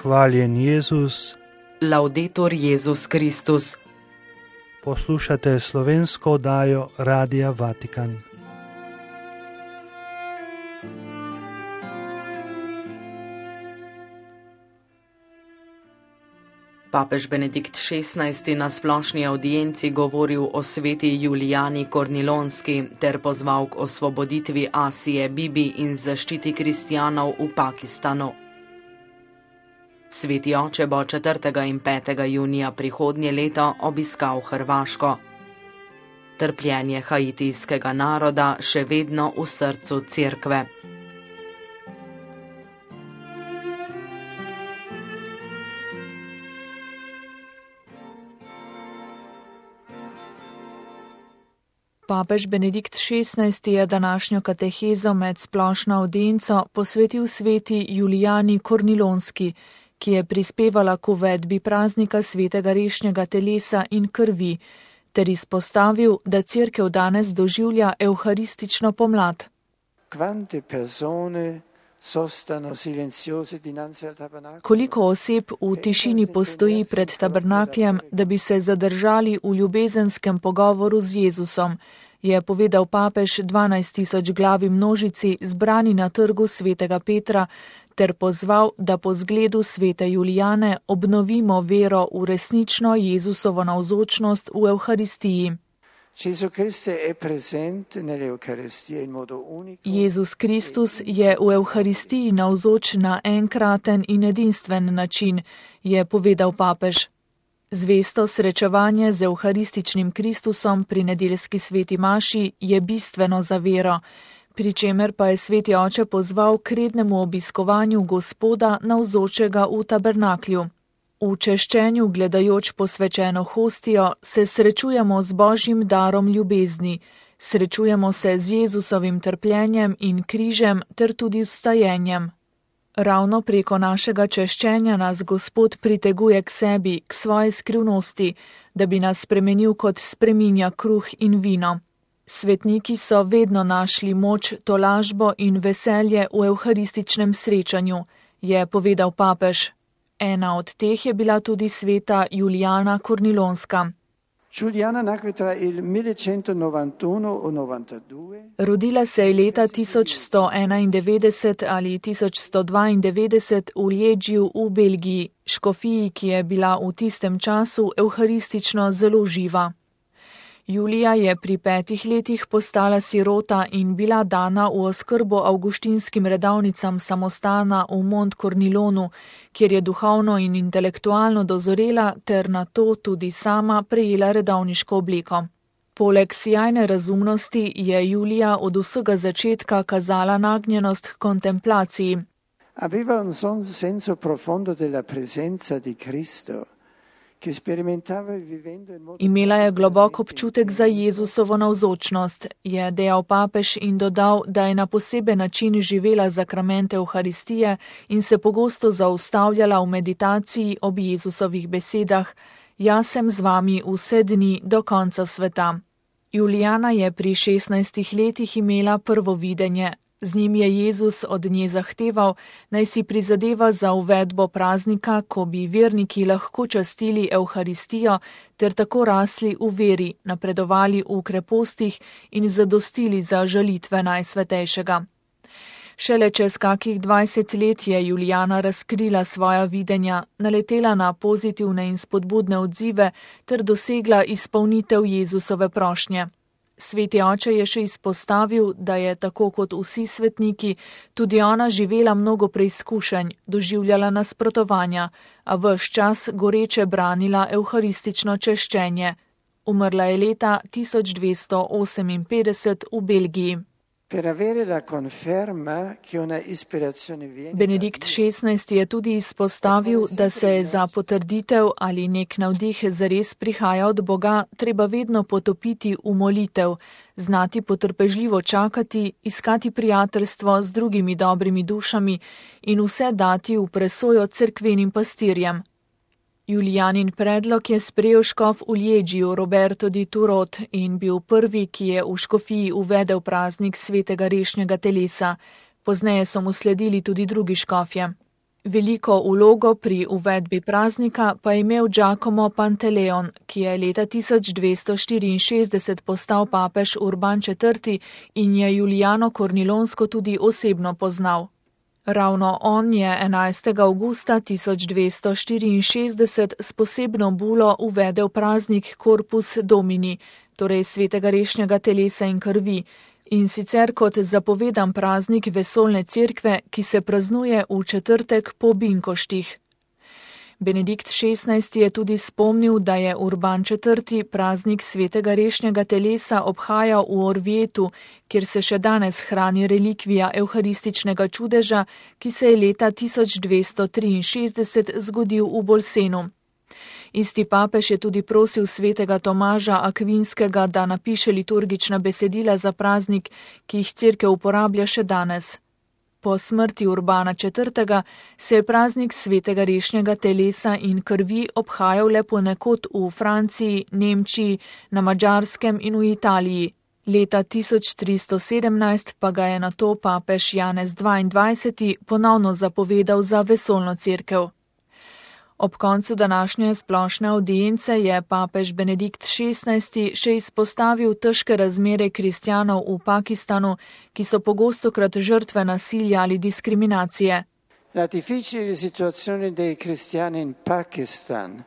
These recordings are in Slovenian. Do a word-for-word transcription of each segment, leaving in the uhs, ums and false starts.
Hvaljen Jezus. Laudetur Jezus Kristus. Poslušate slovensko oddajo Radia Vatikan. Papež Benedikt šestnajsti na splošni avdienci govoril o sveti Julijani Kornilonski ter pozval k osvoboditvi Asije Bibi in zaščiti kristjanov v Pakistanu. Sveti oče bo četrtega in petega junija prihodnje leto obiskal Hrvaško. Trpljenje haitijskega naroda še vedno v srcu cerkve. Papež Benedikt šestnajsti je današnjo katehezo med splošno avdienco posvetil sveti Julijani Kornilonski, ki je prispevala k uvedbi praznika svetega rešnjega telesa in krvi, ter izpostavil, da cerkev danes doživlja evharistično pomlad. Koliko oseb v tišini postoji pred tabernakljem, da bi se zadržali v ljubezenskem pogovoru z Jezusom, je povedal papež dvanajst tisoč glavi množici zbrani na trgu svetega Petra, ter pozval, da po zgledu svete Julijane obnovimo vero v resnično Jezusovo navzočnost v Evharistiji. Jezus Kristus je v Evharistiji navzoč na enkraten in edinstven način, je povedal papež. Zvesto srečevanje z evharističnim Kristusom pri nedeljski sveti maši je bistveno za vero, pri čemer pa je sveti oče pozval k rednemu obiskovanju Gospoda navzočega v tabernaklju. V češčenju, gledajoč posvečeno hostijo, se srečujemo z Božjim darom ljubezni, srečujemo se z Jezusovim trpljenjem in križem ter tudi vstajenjem. Ravno preko našega češčenja nas Gospod priteguje k sebi, k svoji skrivnosti, da bi nas spremenil kot spreminja kruh in vino. Svetniki so vedno našli moč, tolažbo in veselje v evharističnem srečanju, je povedal papež. Ena od teh je bila tudi sveta Julijana Kornilonska. Rodila se je leta tisoč sto enaindevetdeset ali tisoč sto dvaindevetdeset v Liegiju v Belgiji, škofiji, ki je bila v tistem času evharistično zelo živa. Julija je pri petih letih postala sirota in bila dana v oskrbo avguštinskim redavnicam samostana v Mont Kornilonu, kjer je duhovno in intelektualno dozorela ter na to tudi sama prejela redavniško obleko. Poleg sijajne razumnosti je Julija od vsega začetka kazala nagnjenost k kontemplaciji. Aveva un senso profondo della presenza di Cristo. Imela je globok občutek za Jezusovo navzočnost, je dejal papež in dodal, da je na poseben način živela zakramente Evharistije in se pogosto zaustavljala v meditaciji ob Jezusovih besedah: Jaz sem z vami vse dni do konca sveta. Julijana je pri šestnajstih letih imela prvo videnje. Z njim je Jezus od nje zahteval, naj si prizadeva za uvedbo praznika, ko bi verniki lahko častili Evharistijo ter tako rasli v veri, napredovali v krepostih in zadostili za žalitve Najsvetejšega. Šele čez kakih dvajset let je Julijana razkrila svoja videnja, naletela na pozitivne in spodbudne odzive ter dosegla izpolnitev Jezusove prošnje. Sveti oče je še izpostavil, da je tako kot vsi svetniki, tudi ona živela mnogo preizkušenj, doživljala nasprotovanja, a ves čas goreče branila evharistično češčenje. Umrla je leta tisoč dvesto oseminpetdeset v Belgiji. Benedikt šestnajsti je tudi izpostavil, da se je za potrditev ali nek navdih zares prihaja od Boga treba vedno potopiti v molitev, znati potrpežljivo čakati, iskati prijateljstvo z drugimi dobrimi dušami in vse dati v presojo cerkvenim pastirjem. Julijanin predlog je sprejel škof v Liegiju Roberto di Turot in bil prvi, ki je v škofiji uvedel praznik svetega rešnjega telesa. Pozneje so mu sledili tudi drugi škofje. Veliko vlogo pri uvedbi praznika pa je imel Giacomo Panteleon, ki je leta tisoč dvesto štiriinšestdeset postal papež Urban četrti in je Julijano Kornilonsko tudi osebno poznal. Ravno on je enajstega avgusta tisoč dvesto štiriinšestdeset s posebno bulo uvedel praznik Corpus Domini, torej svetega rešnjega telesa in krvi, in sicer kot zapovedan praznik vesoljne cerkve, ki se praznuje v četrtek po binkoštih. Benedikt šestnajsti je tudi spomnil, da je Urban četrti praznik svetega rešnjega telesa obhajal v Orvietu, kjer se še danes hrani relikvija evharističnega čudeža, ki se je leta tisoč dvesto triinšestdeset zgodil v Bolsenu. Isti papež je tudi prosil svetega Tomaža Akvinskega, da napiše liturgična besedila za praznik, ki jih cerkev uporablja še danes. Po smrti Urbana četrtega se je praznik svetega rešnjega telesa in krvi obhajal le ponekod v Franciji, Nemčiji, na Madžarskem in v Italiji. Leta tisoč tristo sedemnajst pa ga je nato papež Janez dvaindvajseti ponovno zapovedal za vesoljno cerkev. Ob koncu današnje splošne avdience je papež Benedikt šestnajsti še izpostavil težke razmere kristjanov v Pakistanu, ki so pogostokrat žrtve nasilja ali diskriminacije. La difficile situazione dei cristiani in Pakistan,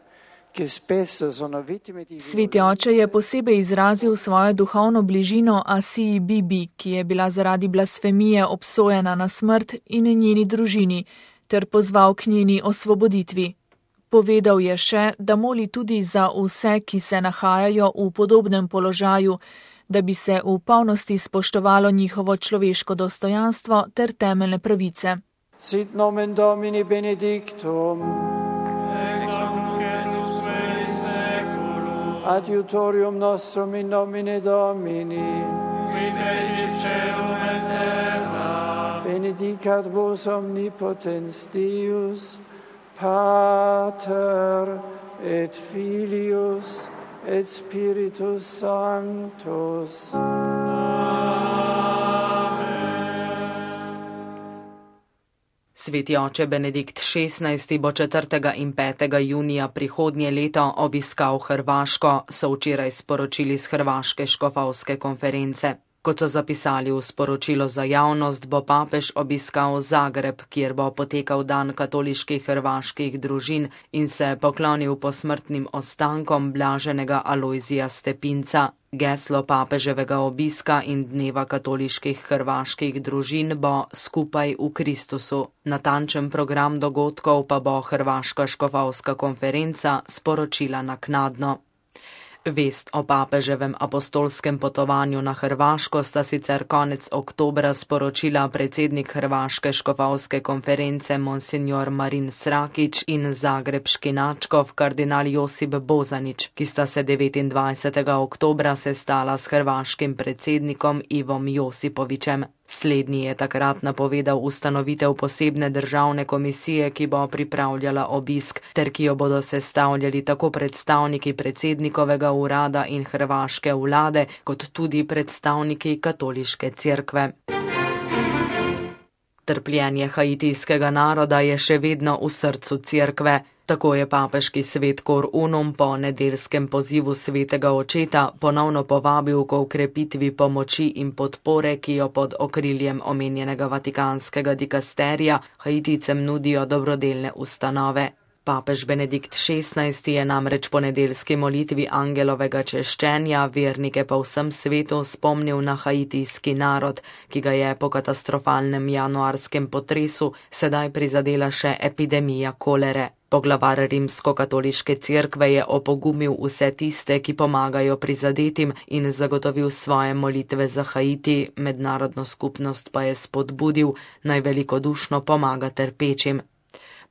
che spesso sono vittime di... Sveti oče je posebej izrazil svojo duhovno bližino Asiji Bibi, ki je bila zaradi blasfemije obsojena na smrt, in njeni družini, ter pozval k njeni osvoboditvi. Povedal je še, da moli tudi za vse, ki se nahajajo v podobnem položaju, da bi se v polnosti spoštovalo njihovo človeško dostojanstvo ter temeljne pravice. Sit nomen Domini benedictum, adiutorium nostrum in nomine Domini, benedicat vos omnipotens Deus, Pater et Filius et Spiritus Sanctus. Sveti oče Benedikt šestnajsti bo četrtega in petega junija prihodnje leto obiskal Hrvaško, so včeraj sporočili z Hrvaške škofovske konference. Kot so zapisali v sporočilo za javnost, bo papež obiskal Zagreb, kjer bo potekal dan katoliških hrvaških družin in se poklonil posmrtnim ostankom blaženega Alojzija Stepinca. Geslo papeževega obiska in dneva katoliških hrvaških družin bo Skupaj v Kristusu. Natančen program dogodkov pa bo Hrvaška škofovska konferenca sporočila naknadno. Vest o papeževem apostolskem potovanju na Hrvaško sta sicer konec oktobra sporočila predsednik Hrvaške škofovske konference monsignor Marin Srakić in zagrebški nadškof kardinal Josip Bozanić, ki sta se devetindvajsetega oktobra sestala s hrvaškim predsednikom Ivom Josipovićem. Slednji je takrat napovedal ustanovitev posebne državne komisije, ki bo pripravljala obisk, ter ki jo bodo sestavljali tako predstavniki predsednikovega urada in hrvaške vlade, kot tudi predstavniki katoliške cerkve. Trpljenje haitijskega naroda je še vedno v srcu cerkve. Tako je papeški svet Cor Unum po nedeljskem pozivu svetega očeta ponovno povabil k ukrepitvi pomoči in podpore, ki jo pod okriljem omenjenega vatikanskega dikasterija Haitijcem nudijo dobrodelne ustanove. Papež Benedikt šestnajsti je namreč po nedeljski molitvi angelovega češčenja vernike po vsem svetu spomnil na haitijski narod, ki ga je po katastrofalnem januarskem potresu sedaj prizadela še epidemija kolere. Poglavar rimsko-katoliške cerkve je opogumil vse tiste, ki pomagajo prizadetim, in zagotovil svoje molitve za Haiti, mednarodno skupnost pa je spodbudil, naj velikodušno pomaga trpečim.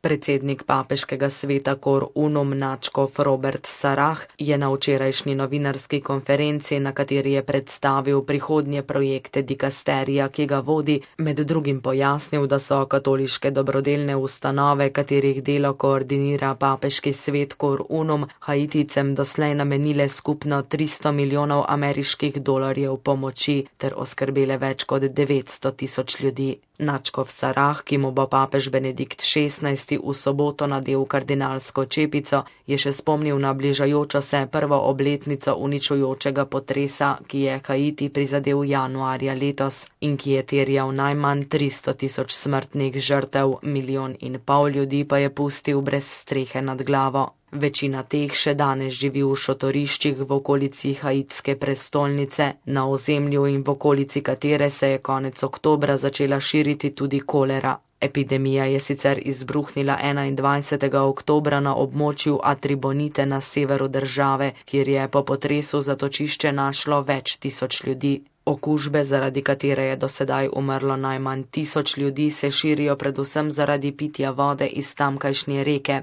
Predsednik papeškega sveta Cor Unum nadškof Robert Sarah je na včerajšnji novinarski konferenci, na kateri je predstavil prihodnje projekte dikasterija, ki ga vodi, med drugim pojasnil, da so katoliške dobrodelne ustanove, katerih delo koordinira papeški svet Cor Unum, Haitijcem doslej namenile skupno tristo milijonov ameriških dolarjev pomoči ter oskrbele več kot devetsto tisoč ljudi. Nadškof Sarah, ki mu bo papež Benedikt šestnajsti v soboto nadel kardinalsko čepico, je še spomnil na bližajočo se prvo obletnico uničujočega potresa, ki je Haiti prizadel januarja letos in ki je terjal najmanj tristo tisoč smrtnih žrtev, milijon in pol ljudi pa je pustil brez strehe nad glavo. Večina teh še danes živi v šotoriščih v okolici haitske prestolnice, na ozemlju in v okolici katere se je konec oktobra začela širiti tudi kolera. Epidemija je sicer izbruhnila enaindvajsetega oktobra na območju Atribonite na severu države, kjer je po potresu zatočišče našlo več tisoč ljudi. Okužbe, zaradi katere je do sedaj umrlo najmanj tisoč ljudi, se širijo predvsem zaradi pitja vode iz tamkajšnje reke.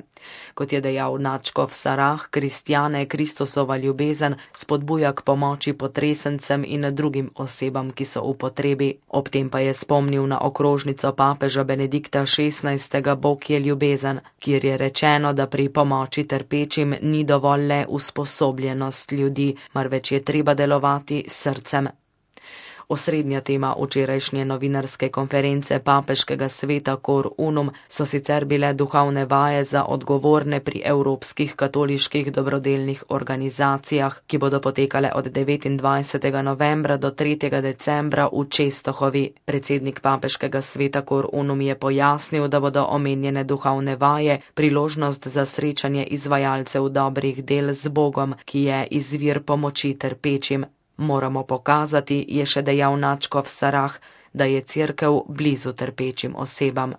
Kot je dejal nadškof Sarah, kristjane Kristusova ljubezen spodbuja k pomoči potresencem in drugim osebam, ki so v potrebi. Ob tem pa je spomnil na okrožnico papeža Benedikta šestnajstega Bog je ljubezen, kjer je rečeno, da pri pomoči trpečim ni dovolj le usposobljenost ljudi, marveč je treba delovati s srcem. Osrednja tema včerajšnje novinarske konference papeškega sveta Cor Unum so sicer bile duhovne vaje za odgovorne pri evropskih katoliških dobrodelnih organizacijah, ki bodo potekale od devetindvajsetega novembra do tretjega decembra v Čestohovi. Predsednik papeškega sveta Cor Unum je pojasnil, da bodo omenjene duhovne vaje priložnost za srečanje izvajalcev dobrih del z Bogom, ki je izvir pomoči trpečim. Moramo pokazati, je še dejal nadškof Sarah, da je cerkev blizu trpečim osebam.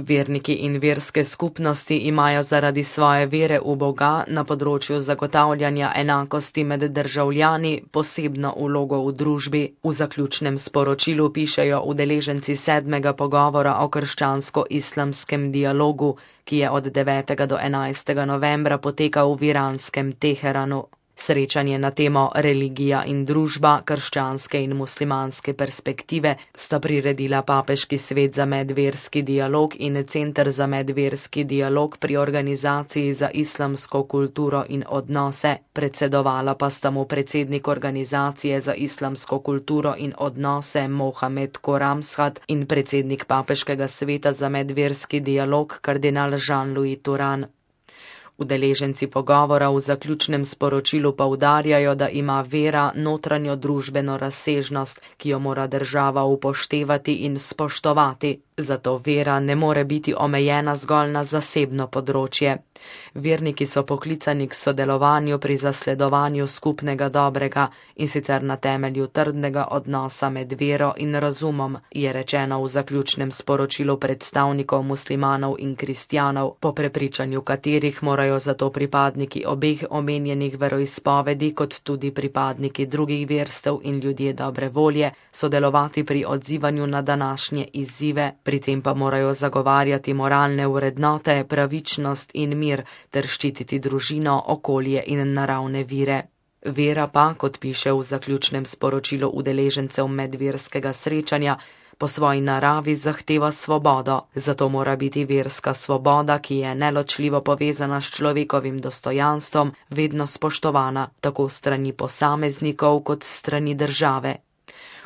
Verniki in verske skupnosti imajo zaradi svoje vere v Boga na področju zagotavljanja enakosti med državljani posebno vlogo v družbi. V zaključnem sporočilu pišejo udeleženci sedmega pogovora o krščansko-islamskem dialogu, ki je od devetega do enajstega novembra potekal v iranskem Teheranu. Srečanje na temo religija in družba, krščanske in muslimanske perspektive sta priredila Papeški svet za medverski dialog in Center za medverski dialog pri organizaciji za islamsko kulturo in odnose. Predsedovala pa sta mu predsednik organizacije za islamsko kulturo in odnose Mohamed Koramshat in predsednik Papeškega sveta za medverski dialog kardinal Jean-Louis Turan. Udeleženci pogovora v zaključnem sporočilu poudarjajo, da ima vera notranjo družbeno razsežnost, ki jo mora država upoštevati in spoštovati. Zato vera ne more biti omejena zgolj na zasebno področje. Verniki so poklicani k sodelovanju pri zasledovanju skupnega dobrega in sicer na temelju trdnega odnosa med vero in razumom, je rečeno v zaključnem sporočilu predstavnikov muslimanov in kristjanov, po prepričanju katerih morajo zato pripadniki obeh omenjenih veroizpovedi kot tudi pripadniki drugih verstev in ljudje dobre volje sodelovati pri odzivanju na današnje izzive, pri tem pa morajo zagovarjati moralne vrednote, pravičnost in mir ter ščititi družino, okolje in naravne vire. Vera pa, kot piše v zaključnem sporočilu udeležencev medverskega srečanja, po svoji naravi zahteva svobodo, zato mora biti verska svoboda, ki je neločljivo povezana s človekovim dostojanstvom, vedno spoštovana, tako strani posameznikov kot strani države.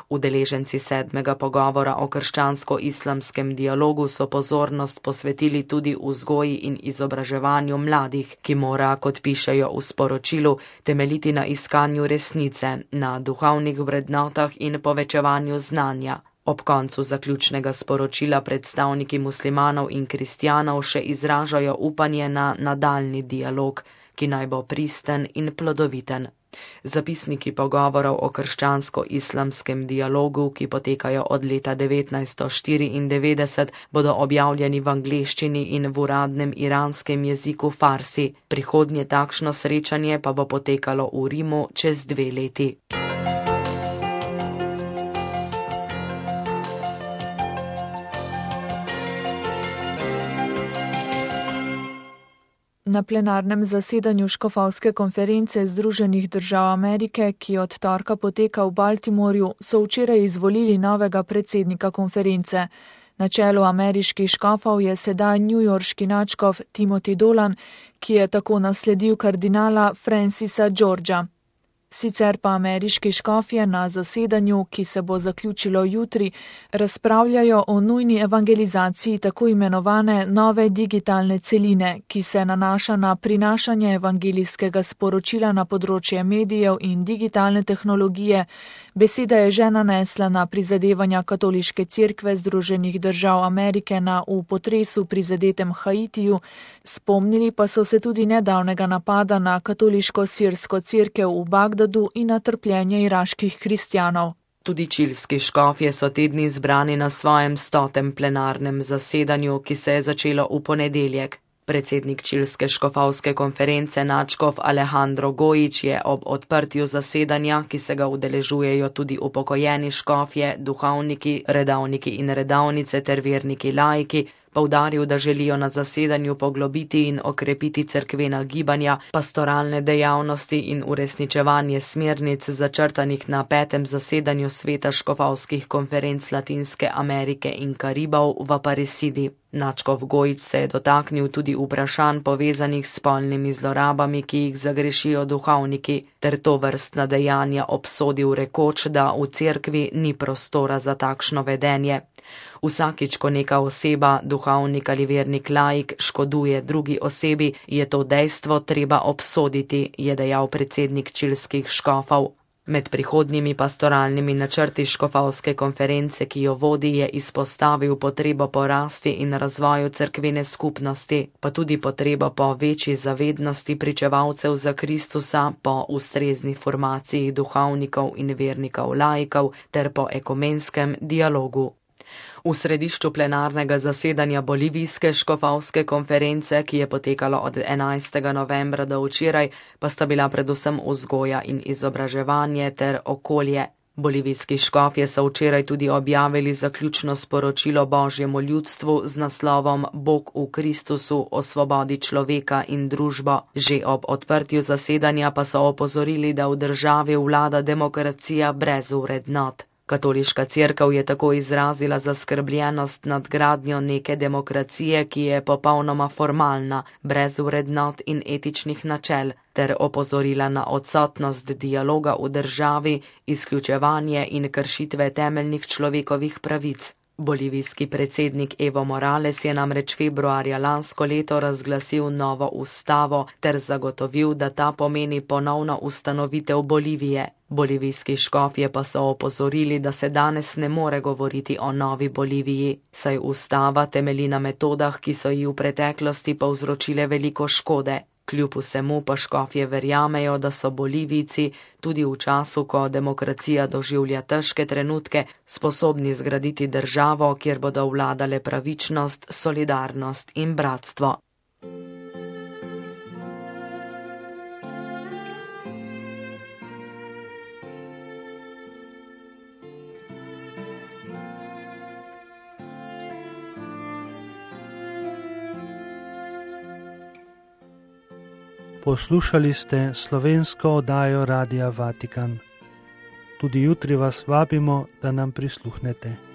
Udeleženci sedmega pogovora o krščansko-islamskem dialogu so pozornost posvetili tudi vzgoji in izobraževanju mladih, ki mora, kot pišejo v sporočilu, temeljiti na iskanju resnice, na duhovnih vrednotah in povečevanju znanja. Ob koncu zaključnega sporočila predstavniki muslimanov in kristjanov še izražajo upanje na nadaljni dialog, ki naj bo pristen in plodoviten. Zapisniki pogovorov o krščansko-islamskem dialogu, ki potekajo od leta devetnajststo štiriindevetdeset, bodo objavljeni v angleščini in v uradnem iranskem jeziku farsi. Prihodnje takšno srečanje pa bo potekalo v Rimu čez dve leti. Na plenarnem zasedanju škofovske konference Združenih držav Amerike, ki od torka poteka v Baltimorju, so včeraj izvolili novega predsednika konference. Na čelu ameriških škofov je sedaj newyorški nadškof Timothy Dolan, ki je tako nasledil kardinala Francisa Georgea. Sicer pa ameriški škofje na zasedanju, ki se bo zaključilo jutri, razpravljajo o nujni evangelizaciji tako imenovane nove digitalne celine, ki se nanaša na prinašanje evangelijskega sporočila na področje medijev in digitalne tehnologije. Beseda je že nanesla na prizadevanja Katoliške cerkve Združenih držav Amerike na v potresu prizadetem Haitiju, spomnili pa so se tudi nedavnega napada na katoliško-sirsko cerkev v Bagdadu in na trpljenje iraških kristjanov. Tudi čilski škofje so te dni zbrani na svojem stotem plenarnem zasedanju, ki se je začelo v ponedeljek. Predsednik čilske škofovske konference nadškof Alejandro Gojić je ob odprtju zasedanja, ki se ga udeležujejo tudi upokojeni škofje, duhovniki, redavniki in redavnice ter verniki laiki, poudaril, da želijo na zasedanju poglobiti in okrepiti cerkvena gibanja, pastoralne dejavnosti in uresničevanje smernic začrtanih na petem zasedanju sveta škofovskih konferenc Latinske Amerike in Karibov v Aparecidi. Nadškof Gojić se je dotaknil tudi vprašanj povezanih s spolnimi zlorabami, ki jih zagrešijo duhovniki, ter to vrstna dejanja obsodil rekoč, da v cerkvi ni prostora za takšno vedenje. Vsakič, ko neka oseba, duhovnik ali vernik laik, škoduje drugi osebi, je to dejstvo treba obsoditi, je dejal predsednik čilskih škofov. Med prihodnjimi pastoralnimi načrti škofovske konference, ki jo vodi, je izpostavil potrebo po rasti in razvoju cerkvene skupnosti, pa tudi potrebo po večji zavednosti pričevalcev za Kristusa, po ustrezni formaciji duhovnikov in vernikov laikov ter po ekumenskem dialogu. V središču plenarnega zasedanja bolivijske škofovske konference, ki je potekalo od enajstega novembra do včeraj, pa sta bila predvsem vzgoja in izobraževanje ter okolje. Bolivijski škofje so včeraj tudi objavili zaključno sporočilo Božjemu ljudstvu z naslovom Bog v Kristusu o svobodi človeka in družbo. Že ob odprtju zasedanja pa so opozorili, da v državi vlada demokracija brez vrednot. Katoliška cerkev je tako izrazila zaskrbljenost nad gradnjo neke demokracije, ki je popolnoma formalna, brez vrednot in etičnih načel, ter opozorila na odsotnost dialoga v državi, izključevanje in kršitve temeljnih človekovih pravic. Bolivijski predsednik Evo Morales je namreč februarja lansko leto razglasil novo ustavo ter zagotovil, da ta pomeni ponovno ustanovitev Bolivije. Bolivijski škofje pa so opozorili, da se danes ne more govoriti o novi Boliviji, saj ustava temelji na metodah, ki so ji v preteklosti povzročile veliko škode. Kljub vsemu pa škofje verjamejo, da so Bolivijci tudi v času, ko demokracija doživlja težke trenutke, sposobni zgraditi državo, kjer bodo vladale pravičnost, solidarnost in bratstvo. Poslušali ste slovensko oddajo Radia Vatikan. Tudi jutri vas vabimo, da nam prisluhnete.